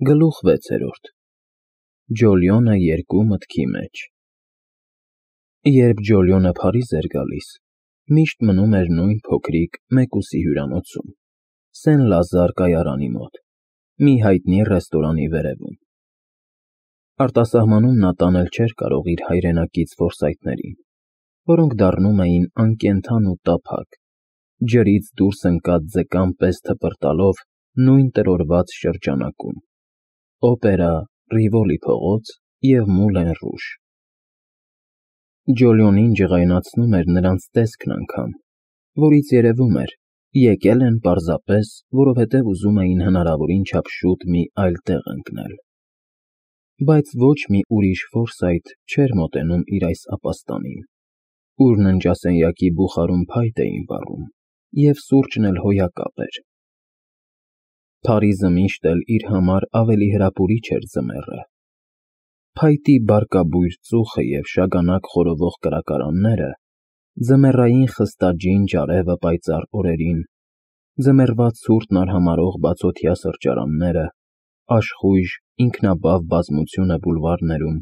Գլուխ 6. Ջոլիոնը երկու մտքի մեջ։ Երբ Ջոլիոնը Փարիզ էր գալիս, միշտ մնում էր նույն փոքրիկ մեկուսի հյուրանոցում, Սեն֊Լազար կայարանի մոտ, մի հայտնի ռեստորանի վերևում։ Արտասահմանում նա տանել չէր կարող իր հայրենակից որսայթներին, որոնք դառնում էին անկենդան ու տափակ, ջրից դուրս ընկած ձկան պես թպրտալով նույն տրորված շրջանակում՝ օպերա, Ռիվոլի փողոց և Մուլեն Ռուժ։ Ջոլիոնին ջղայնացնում էր նրանց տեսքն անգամ, որից երևում էր, եկել են պարզապես, որովհետև ուզում էին հնարավորին չափ շուտ մի այլ տեղ ընկնել։ Բայց ոչ մի ուրիշ որսայթ չէր մոտենում իր այս ապաստանին, ուր ննջասենյակի բուխարում փայտ էին վառում, և սուրճն էլ հոյակապ էր։ Փարիզը միշտ էլ իր համար ավելի հրապուրիչ էր ձմեռը։ Փայտի բարկաբույր ծուխը և շագանակ խորովող կրակարանները, ձմեռային խստաջինջ արևը պայծառ օրերին, ձմեռվա ցուրտն արհամարհող բացօթյա սրճարանները, աշխույժ, ինքնաբավ բազմությունը բուլվարներում,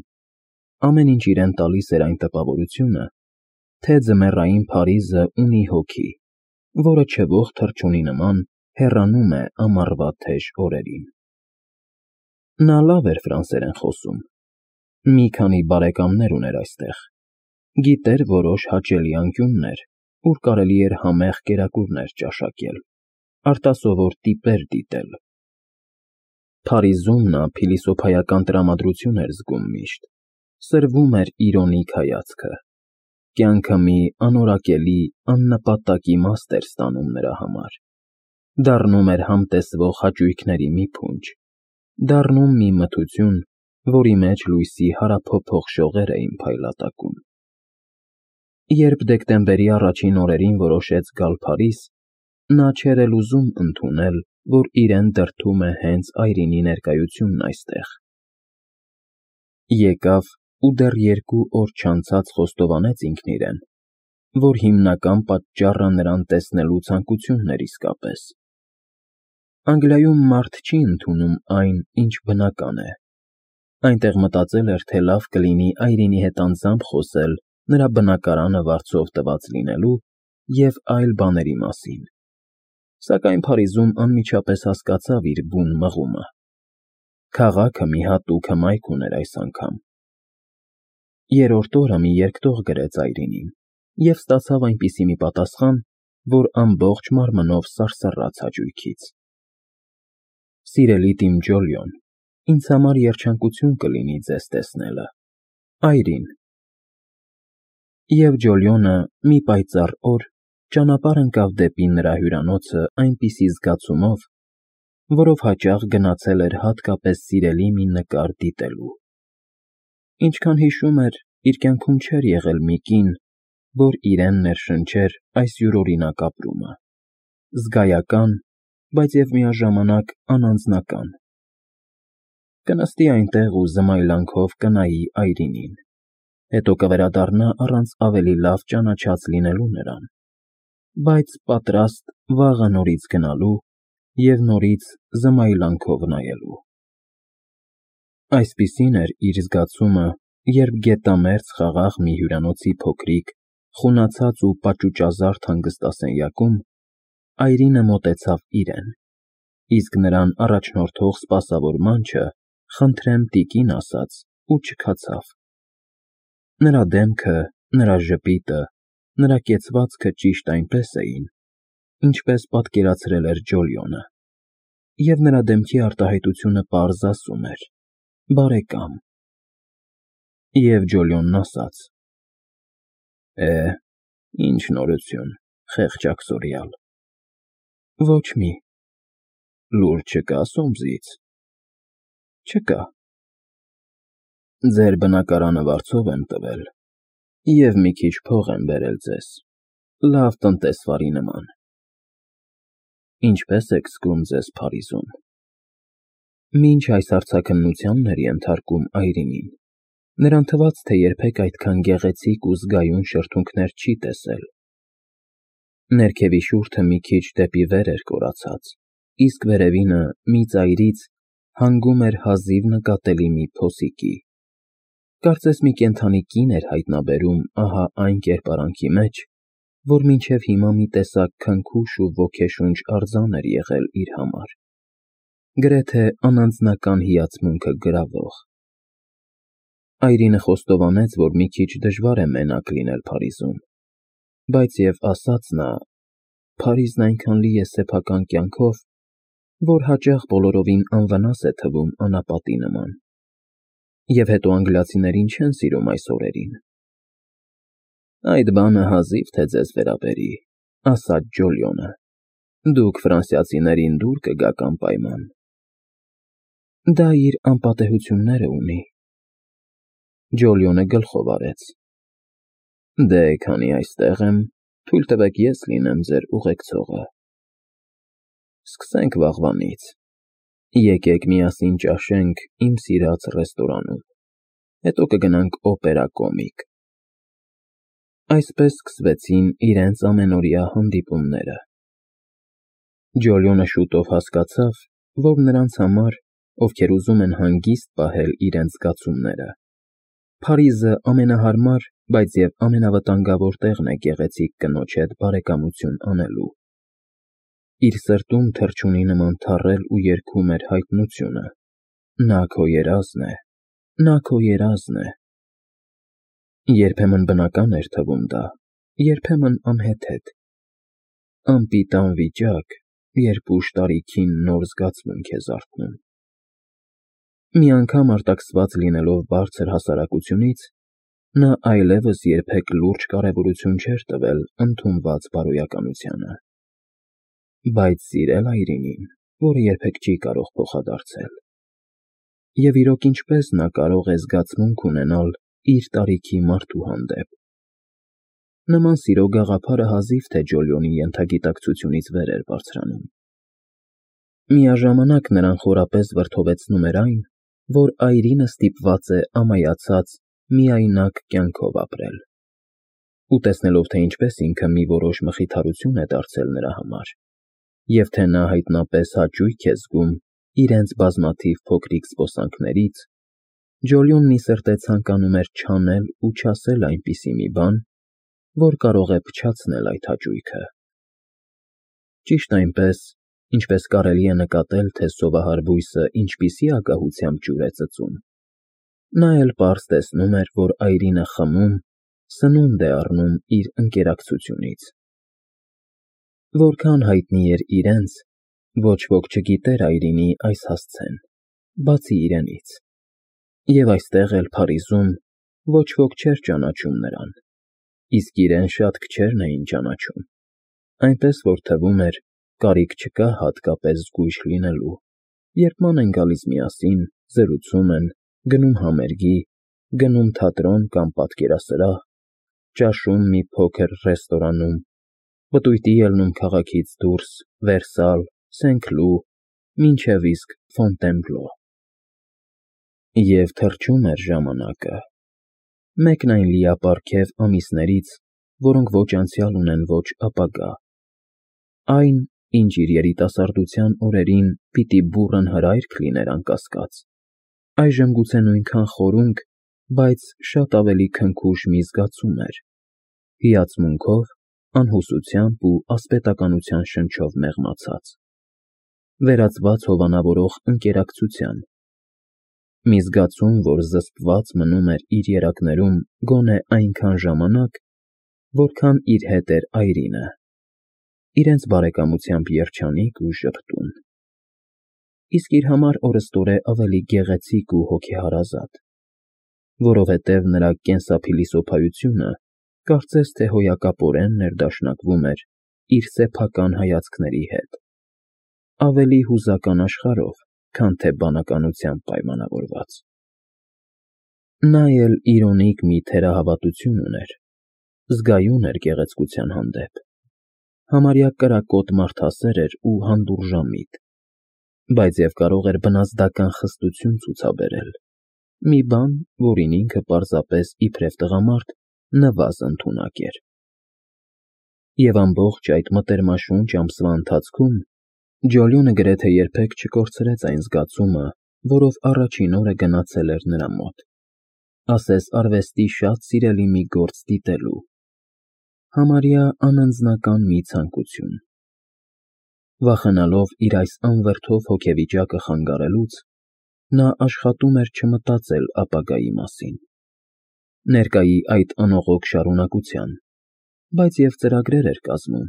ամեն ինչ իրեն տալիս էր այն տպավորությունը, թե ձմեռային Փարիզը ունի հոգի, որը չվող թռչունի նման հեռանում է ամառվա թեժ օրերին։ Նա լավ էր ֆրանսերեն խոսում, մի քանի բարեկամներ ուներ այստեղ, գիտեր որոշ հաճելի անկյուններ, ուր կարելի էր համեղ կերակուրներ ճաշակել, արտասովոր տիպեր դիտել։ Փարիզում նա փիլիսոփայական տրամադրություն էր զգում միշտ, սրվում էր իրոնիկ հայացքը, կյանքը մի անորակելի, աննպատակ իմաստ էր ստանում նրա համար, դառնում էր համտեսվող հաճույքների մի փունջ, դառնում մի մթություն, որի մեջ լույսի հարափոփող շողեր էին փայլատակում։ Երբ դեկտեմբերի առաջին օրերին որոշեց գալ Փարիզ, նա չէր էլ ուզում ընդունել, որ իրեն դրդում է հենց Այրինի ներկայությունն այստեղ։ Եկավ ու դեռ 2 օր չանցած խոստովանեց ինքն իրեն, որ հիմնական պատճառը նրան տեսնելու ցանկությունն էր իսկապես։ Անգլիայում մարդ չի ընդունում այն, ինչ բնական է։ Այնտեղ մտածել էր, թե լավ կլինի Այրինի հետ անձամբ խոսել նրա բնակարանը վարձով տված լինելու և այլ բաների մասին, սակայն Փարիզում անմիջապես հասկացավ իր բուն մղումը։ Քաղաքը մի հատուկ հմայք ուներ այս անգամ։ Երրորդ օրը մի երկտող գրեց Այրինին և ստացավ այնպիսի մի պատասխան, որ ամբողջ մարմնով սարսռաց հաճույքից։ Սիրելի Տիմ Ջոլիոն, ինձ համար երջանկություն կլինի ձեզ տեսնելը, Այրին։ Եվ Ջոլիոնը մի պայծառ օր ճանապարհ ընկավ դեպի նրա հյուրանոցը այնպիսի զգացումով, որով հաճախ գնացել էր հատկապես սիրելի մի նկար դիտելու։ Ինչքան հիշում էր, իր կյանքում չէր եղել մի կին, որ իրեն ներշնչեր այս յուրօրինակ ապրումը, զգայական, բայց և միաժամանակ անանձնական։ Կնստի այնտեղ ու զմայլանքով կնայի Այրինին, հետո կվերադառնա առանց ավելի լավ ճանաչած լինելու նրան, բայց պատրաստ վաղը նորից գնալու և նորից զմայլանքով նայելու։ Այսպիսին էր իր զգացումը, երբ գետամերձ խաղաղ մի հյուրանոցի փոքրիկ, խունացած ու պաճուճազարդ հանգստասենյակում Այրինը մոտեցավ իրեն, իսկ նրան առաջնորդող սպասավոր մանչը «Խնդրեմ, տիկին» ասաց ու չքացավ։ Նրա դեմքը, նրա ժպիտը, նրա կեցվածքը ճիշտ այնպես էին, ինչպես պատկերացրել էր Ջոլիոնը, և նրա դեմքի արտահայտությունը պարզ ասում էր. «Բարեկամ»։ Եվ Ջոլիոնն ասաց. Ինչ նորություն, խեղճ աքսորյալ։ Ոչ մի։ Լուր չկա Սոմսից։ Չկա։ Ձեր բնակարանը վարձով եմ տվել և մի քիչ փող եմ բերել ձեզ, լավ տնտեսվարի նման։ Ինչպե՞ս եք զգում ձեզ Փարիզում։ Մինչ այս հարցաքննությանն էր ենթարկում Այրինին, նրան թվաց, թե երբեք այդքան գեղեցիկ ու զգայուն շրթունքներ չի տեսել։ Ներքևի շուրթը մի քիչ դեպի վեր էր կորացած, իսկ վերևինը մի ծայրից, հանգում էր հազիվ նկատելի մի փոսիկի։ Կարծես մի կենդանի կին էր հայտնաբերում ահա այն կերպարանքի մեջ, որ մինչև հիմա մի տեսակ քնքուշ ու ոգեշունչ արձան էր եղել իր համար, գրեթե անանձնական հիացմունքը գրավող։ Այրինը խոստովանեց, որ մի քիչ դժվար է մենակ լինել Փարիզում, բայց և ասաց նա. «Փարիզն այնքան լի է սեփական կյանքով, որ հաճախ բոլորովին անվնաս է թվում անապատի նման։ Եվ հետո անգլիացիներին չեն սիրում այս օրերին»։ «Այդ բանը հազիվ թե ձեզ վերաբերի», ասաց Ջոլիոնը, «դուք ֆրանսիացիներին դուր կգաք անպայման»։ «Դա իր անպատեհությունները ունի»։ Ջոլիոնը գլխով արեց։ «Դե, քանի այստեղ եմ, թույլ տվեք ես լինեմ ձեր ուղեկցողը։ Սկսենք վաղվանից։ Եկեք միասին ճաշենք իմ սիրած ռեստորանում, հետո կգնանք օպերա կոմիկ»։ Այսպես սկսվեցին իրենց ամենօրյա հանդիպումները։ Ջոլիոնը շուտով հասկացավ, որ նրանց համար, ովքեր ուզում են հանգիստ պահել իրենց զգացումները, Փարիզը ամենահարմար, բայց և ամենավտանգավոր տեղն է գեղեցիկ կնոջ հետ բարեկամություն անելու։ Իր սրտում թռչունի նման թառել ու երգում էր հայտնությունը. «Նա քո երազն է, նա քո երազն է»։ Երբեմն բնական էր թվում դա, երբեմն անհեթեթ, անպիտան վիճակ, երբ ուշ տարիքին նոր զգացմունք է զարթնում։ Մի անգամ արտաքսված լինելով բարձր հասարակությունից, նա այլևս երբեք լուրջ կարևորություն չէր տվել ընդունված բարոյականությանը։ Բայց սիրել Այրինին, որը երբեք չի կարող փոխադարձել։ Եվ իրոք ինչպես նա կարող է զգացմունք ունենալ իր տարիքի մարդու հանդեպ։ Նման սիրո գաղափարը հազիվ թե Ջոլիոնի ենթագիտակցությունից վեր էր բարձրանում։ Միաժամանակ նրան խորապես վրդովեցնում էր այն, որ Այրինը ստիպված է ամայացած, միայնակ կյանքով ապրել։ Ու տեսնելով, թե ինչպես ինքը մի որոշ մխիթարություն է դարձել նրա համար, և թե նա հայտնապես հաճույք է զգում իրենց բազմաթիվ փոքրիկ զբոսանքներից, Ջոլիոնն ի սրտե ցանկանում էր չանել ու չասել այնպիսի մի բան, որ կարող է փչացնել այդ հաճույքը։ Ճիշտ այնպես, ինչպես կարելի է նկատել, թե սովահար բույսը ինչպիսի ագահությամբ ջուր է ծծում, նա էլ պարզ տեսնում էր, որ Այրինը խմում, սնունդ է առնում իր ընկերակցությունից։ Որքան հայտնի էր իրենց, ոչ ոք չգիտեր Այրինի այս հասցեն, բացի իրենից։ Եվ այստեղ էլ Փարիզում ոչ ոք չէր ճանաչում նրան, իսկ իրեն շատ քչերն էին ճանաչում, այնպես որ թվում էր, կարիք չկա հատկապես զգույշ լինելու, երբ ման են գալիս միասին, զրուցում են, գնում համերգի, գնում թատրոն կամ պատկերասրահ, ճաշում մի փոքր ռեստորանում, պտույտի ելնում քաղաքից դուրս Վերսալ, Սեն֊Քլու, մինչև իսկ Ֆոնտենբլո։ Եվ թռչում էր ժամանակը։ Մեկն այն լիապարգև ամիսներից, որոնք ոչ անցյալ ունեն, ոչ ապագա։ Այն, ինչ իր երիտասարդության օրերին պիտի բուռն հրայք լիներ անկասկած, այժմ գուցե նույնքան խորունկ, բայց շատ ավելի քնքուշ մի զգացում էր, հիացմունքով, անհուսությամբ ու ասպետականության շնչով մեղմացած, վերածված հովանավորող ընկերակցության, մի զգացում, որ զսպված մնում էր իր երակներում գոնե այնքան ժամանակ, որքան իր հետ էր Այրինը, իրենց բարեկամությամբ երջանիկ ու ժպտուն։ Իսկ իր համար օրըստօրե ավելի գեղեցիկ ու հոգեհարազատ, որովհետև նրա կենսափիլիսոփայությունը կարծես թե հոյակապորեն ներդաշնակվում էր իր սեփական հայացքների հետ, ավելի հուզական աշխարհով, քան թե բանականությամբ պայմանավորված։ Նա էլ իրոնիկ մի թերահավատություն ուներ, զգայուն էր գեղեցկության հանդեպ, համարյա կրակոտ մարդասեր էր ու հանդուրժամիտ, բայց և կարող էր բնազդական խստություն ցուցաբերել, մի բան, որին ինքը պարզապես իբրև տղամարդ նվազ ընդունակ էր։ Եվ ամբողջ այդ մտերմաշունչ ամսվա ընթացքում Ջոլիոնը գրեթե երբեք չկորցրեց այն զգացումը, որով առաջին օրը գնացել էր նրա մոտ, ասես արվեստի շատ սիրելի մի գործ դիտելու, համարյա անանձնական մի ցանկություն։ Վախենալով իր այս անվրդով հոգեվիճակը խանգարելուց, նա աշխատում էր չմտածել ապագայի մասին, ներկայի այդ անողոք շարունակության, բայց և ծրագրեր էր կազմում,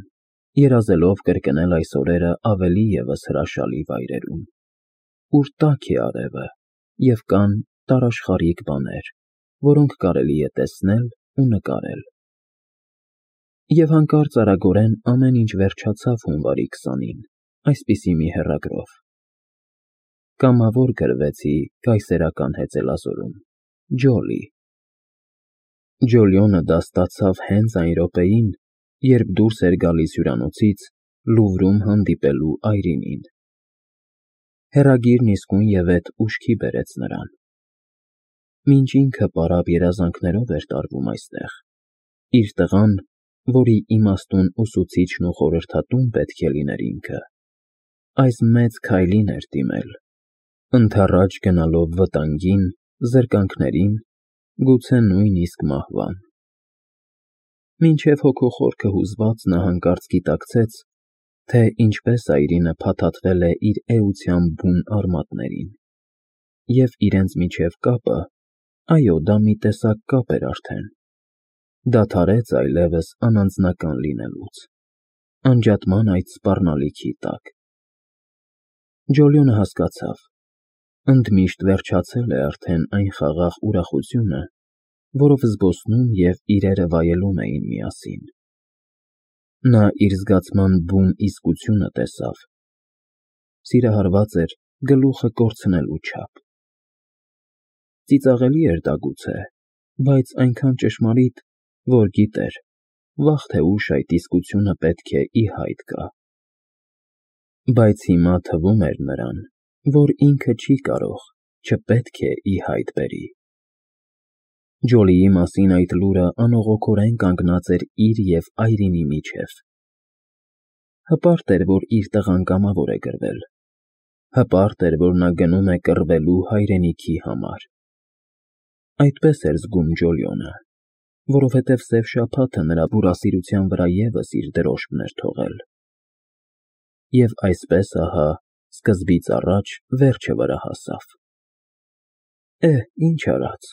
երազելով կրկնել այս օրերը ավելի ևս հրաշալի վայրերում, ուր տաք է արևը և կան տարաշխարհիկ բաներ, որոնք կարելի է տեսնել ու նկարել։ Եվ հանկարծ արագորեն ամեն ինչ վերջացավ հունվարի 20-ին, այսպիսի մի հեռագրով. Կամավոր գրվեցի կայսերական հեծելազորում, Ջոլի։ Ջոլիոնը դա ստացավ հենց այն րոպեին, երբ դուրս էր գալիս հյուրանոցից Լուվրում հանդիպելու Այրինին։ Հեռագիրն իսկույնևեթ ուշքի բերեց նրան։ Մինչ ինքը պարապ երազանքներով էր տարվում այստեղ, իր տղան, որի իմաստուն ուսուցիչն ու խորհրդատուն պետք է լիներ ինքը, այս մեծ քայլին էր դիմել, ընդառաջ գնալով վտանգին, զրկանքներին, գուցե նույնիսկ մահվան։ Մինչև հոգոխորքը հուզված նա հանկարծ գիտակցեց, թե ինչպես Այրինը փաթաթվել է իր էության բուն արմատներին, և իրենց միջև կապը, այո, դա մի տեսակ կապ էր արդեն, դադարեց այլևս անանձնական լինելուց, անջատման այդ սպառնալիքի տակ։ Ջոլիոնը հասկացավ, ընդմիշտ վերջացել է արդեն այն խաղաղ ուրախությունը, որով զբոսնում և իրերը վայելում էին միասին։ Նա իր զգացման բուն իսկությունը տեսավ, սիրահարված էր գլուխը կորցնելու չափ։ Ծիծաղելի էր դա գուցե, բայց այնքան ճշմարիտ, որ գիտեր, վաղ թե ուշ այդ իսկությունը պետք է ի հայտ գա։ Բայց հիմա թվում էր նրան, որ ինքը չի կարող, չպետք է ի հայտ բերի։ Ջոլիի մասին այդ լուրը անողոքորեն կանգնած էր իր և Այրինի միջև։ Հպարտ էր, որ իր տղան կամավոր է գրվել, հպարտ էր, որ նա գնում է կռվելու հայրենիքի համար։ Այդպես էր զգում Ջոլիոնը, որովհետև սև շաբաթը նրա բուրասիրության վրա ևս իր դրոշմն էր թողել։ Եվ այսպես, ահա, սկզբից առաջ վերջը վրա հասավ։ Ինչ արած,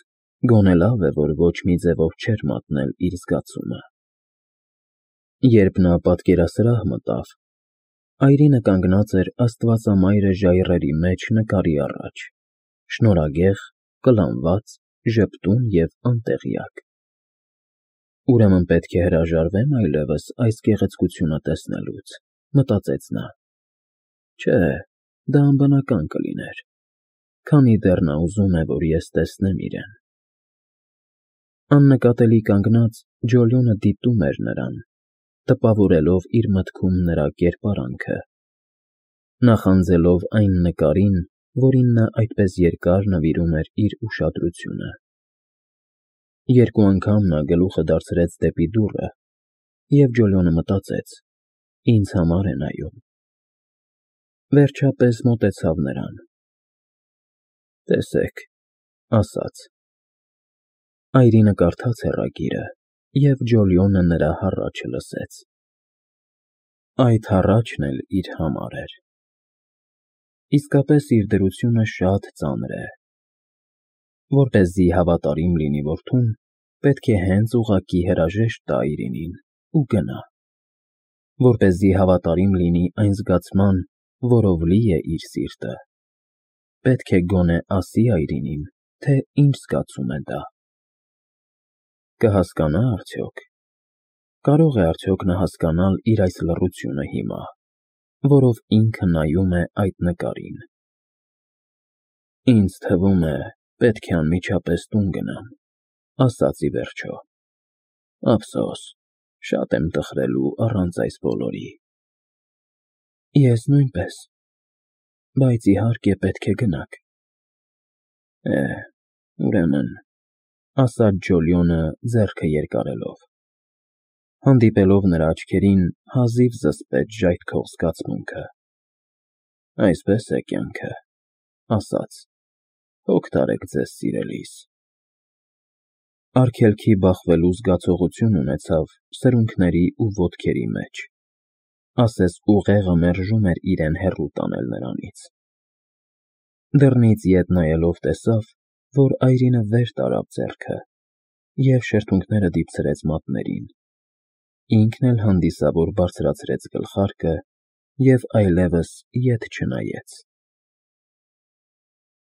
գոնե լավ է, որ ոչ մի ձևով չէր մատնել իր զգացումը։ Երբ նա պատկերասրահ մտավ, Այրինը կանգնած էր աստվածամայրը ժայռերի մեջ նկարի առաջ, շնորհագեղ, կլանված, ժպտուն և անտեղյակ։ Ուրեմն պետք է հրաժարվեմ այլևս այս գեղեցկությունը տեսնելուց, մտածեց նա։ Չէ, դա անբնական կլիներ, քանի դեռ նա ուզում է, որ ես տեսնեմ իրեն։ Աննկատելի կանգնած, Ջոլիոնը դիտում էր նրան, տպավորելով իր մտքում նրա կերպարանքը, նախանձելով այն նկարին, որին նա այդպես երկար նվիրում էր իր ուշադրությունը։ Երկու անգամ նա գլուխը դարձրեց դեպի դուռը, և Ջոլիոնը մտածեց. ինձ համար է նայում։ Վերջապես մոտեցավ նրան։ Տեսեք, ասաց։ Այրինը կարդաց հեռագիրը, և Ջոլիոնը նրա հառաչը լսեց։ Այդ հառաչն էլ իր համար էր։ Իսկապես իր դրությունը շատ ծանր է։ Որպեսզի հավատարիմ լինի որդուն, պետք է հենց ուղղակի հրաժեշտ տա Այրինին ու գնա։ Որպեսզի հավատարիմ լինի այն զգացման, որով լի է իր սիրտը, պետք է գոնե ասի Այրինին, թե ինչ զգացում է դա։ Կհասկանա՞ արդյոք։ Կարո՞ղ է արդյոք նա հասկանալ իր այս լռությունը հիմա, որով ինքը նայում է այդ նկարին։ Ինձ թվում է, պետք է անմիջապես տուն գնամ, ասաց ի վերջո։ Ափսոս, շատ եմ տխրելու առանց այս բոլորի։ Ես նույնպես, բայց իհարկե պետք է գնաք։ Ուրեմն, ասաց Ջոլիոնը ձեռքը երկարելով։ Հանդիպելով նրա աչքերին հազիվ զսպեց ժայթքող զգացմունքը։ Այսպես է կյանքը, ասաց։ Հոգ տարեք ձեզ սիրելիս։ Արգելքի բախվելու զգացողություն ունեցավ սրունքների ու ոտքերի մեջ, ասես ուղեղը մերժում էր իրեն հեռու տանել նրանից։ Դռնից ետ նայելով տեսավ, որ այրինը վեր տարավ ձեռքը և շրթունքները դիպցրեց մատներին, ինքն էլ հանդիսավոր բարձրացրեց գլխարկը և այլևս ետ չնայեց։